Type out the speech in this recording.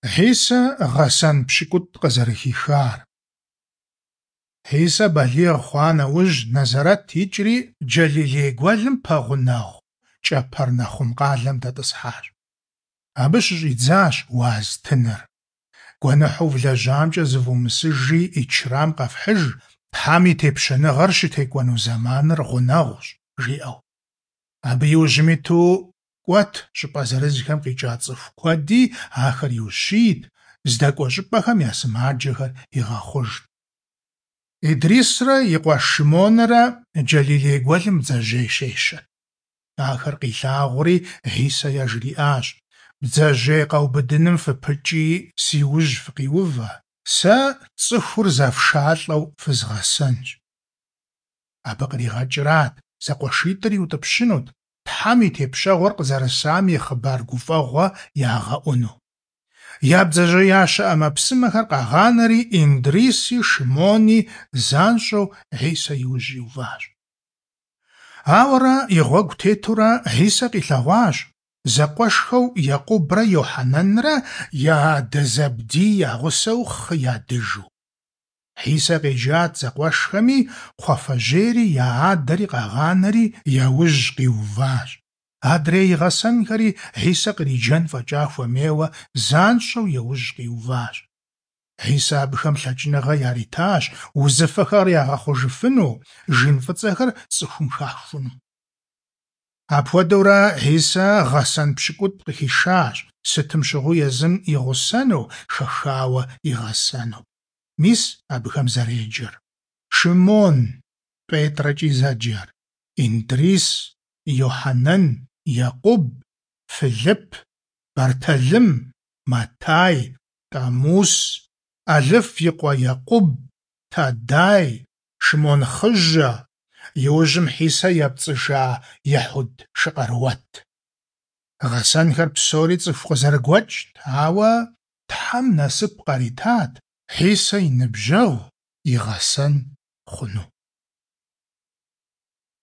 Хьисэ гъэсэн пщыкӏутӏ къызэрыхихар. Хьисэ балигъ хъуа нэужь, Нэзэрэт икӀри Джэлилей гуэлым пэгъунэгъу Кӏэпэрнэхъум къалэм дэтӀысхьащ. Абы щыщӀидзащ уаз тыныр. Гуэныхьу влэжьамкӀэ зывумысыжи, Ӏичрам къэфхьыж, Тхьэм и Тепщэныгъэр щытекӀуэну зэманыр гъунэгъущ, жиӀэу. Абы и ужьым иту кӀуэт щӀыпӀэ зырызхэм къикӀа цӀыху куэди, ахэр иущийт, здэкӀуэ щӀыпӀэхэм я сымаджэхэр игъэхъужт. Идрисрэ и къуэш Шимонрэ Джэлилей гуэлым бдзэжьей щещэт. Ахэр къилъагъури, Хьисэ яжриӀащ: «Бдзэжьей къэубыдыным фыпыкӀи, си ужь фыкъиувэ, сэ цӀыхур зэфшалӀэу фызгъэсэнщ». Абы къригъэкӀрат, зэкъуэшитӀыр иутӀыпщынут, Тхьэм и тепщэгъуэр къызэрысам и хъыбар гуфӀэгъуэ ягъэӀуну. Я бдзэжьеящэ Ӏэмэпсымэхэр къагъанэри, Индриси Шимони занщӀэу Хьисэ и ужь иуващ. Ауэрэ и гъуэгу тетурэ Хьисэ къилъэгъуащ зэкъуэшхэу Екъубрэ Йохьэнэнрэ я адэ Зэбдий я гъусэу хъы ядыжу. Хьисэ къеджат зэкъуэшхэми, кхъуафэжьейри я адэри къагъанэри я ужь къиуващ. Адрей и гъэсэнхэри Хьисэ къриджэн фӀэкӀа хуэмейуэ занщӀэу яужь къиуващ. Хьисэ абыхэм лъэкӀыныгъэ яритащ узыфэхэр ягъэхъужыфыну, жин фӀыцӀэхэр цӀыхум хахуну. Апхуэдэурэ Хьисэ гъэсэн пщыкӀутӀ къыхишащ, сытым щыгъуи езым и гъусэну, хэхауэ игъэсэну. Мис абыхэм зэреджэр: Шимон, ПетӀрэкӀи зэджэр, Индрис, Йохьэнэн, Екъуб, Фылып, Бэртэлым, Матай, Тӏамус, Ӏэлыф и къуэ Екъуб, Тадай, Шимон Хъыжьэ, иужьым Хьисэ епцӀыжа Ехьуд Шыкъэруэт. Гъэсэнхэр псори цӀыху къызэрыгуэкӀт, ауэ Тхьэм насып къаритат Хьисэ и ныбжьэгъу, и гъэсэн хъуну.